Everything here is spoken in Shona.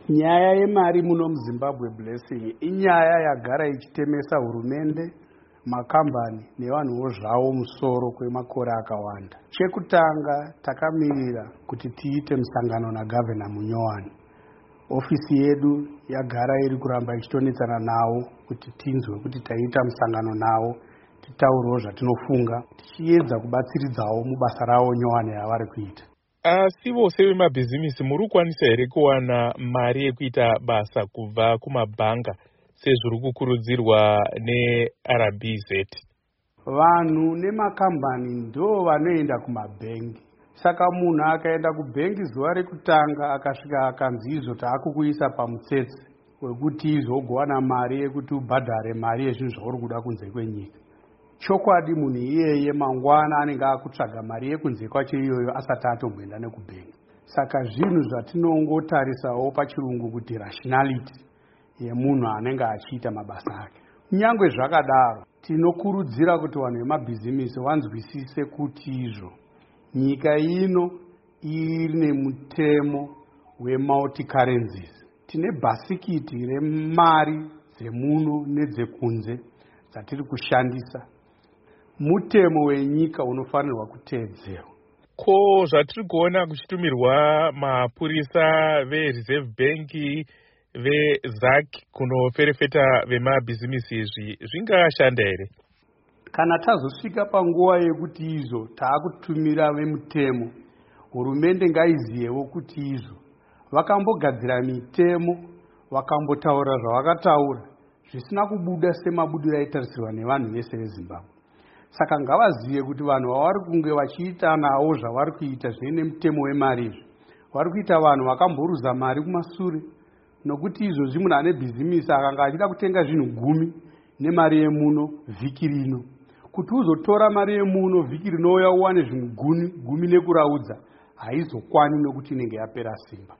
Nyaya yemari muno muZimbabwe, Blessing, inyaya yagara ichitemesa hurumende, makambani nevanhuwo zvavo musoro kwemakore akawanda. Chekutanga, takamirira kuti tiite musangano nagavhena munyowani. Ofisi yedu yagara iri kuramba ichitonetsana navo kuti tinzwe kuti taita musangano navo, titaurewo zvatinofunga, tichiedza kubatsiridzawo mubasa ravo nyowani yavari kuita. Asi vose vemabhizimisi, muri kukwanisa here kuwana mari yekuita basa kubva kumabhanga sezviri kukurudzirwa neRBZ? Vanhu nemakambani ndo vanoenda kumabhengi. Saka munhu akaenda kubhengi zuva rekutanga, akasvika akanzi izvo taakukuisa pamutsetse wekuti izvo ugowana mari yekuti ubhadhare mari yezvinhu zvauri kuda kunze kwenyika, chokwadi munhu iyeye mangwana anenge akutsvaga mari yekunze kwacho iyoyo asati atomboenda nekubhengi. Saka zvinhu zvatinongotarisawo pachirungu kuti rationality yemunhu anenge achiita mabasa ake. Kunyange zvakadaro, tinokurudzira kuti vanhu vemabhizimisi vanzwisise kuti izvo nyika ino ine mutemo wemulti-currencies. Tine bhasikiti remari dzemuno nedzekunze dzatiri kushandisa. Mutemo wenyika unofanirwa kuteedzerwa. Ko zvatiri kuona kuchitumirwa mapurisa veReserve Bank, veZACC kunoferefeta vemabhizimisi, izvi zvingashanda here? Kana tazosvika panguva yekuti izvo taakutumira vemutemo, hurumende ngaiziyewo kuti izvo vakambogadzira mitemo, vakambotaura zvavakataura, zvisina kubuda semabudiro aitarisirwa nevanhu vese veZimbabwe. Saka ngavazive kuti vanhu vavari kunge vachiita navo zvavari kuita zvine nemutemo wemari izvi, vari kuita vanhu vakamboruza mari kumasure, nokuti izvozvi munhu ane bhizimisi akanga achida kutenga zvinhu 10 nemari yemuno vhiki rino, kuti uzotora mari yemuno vhiki rinouya uwane zvinhu 10 nekuraudza, haizokwani nokuti inenge yapera simba.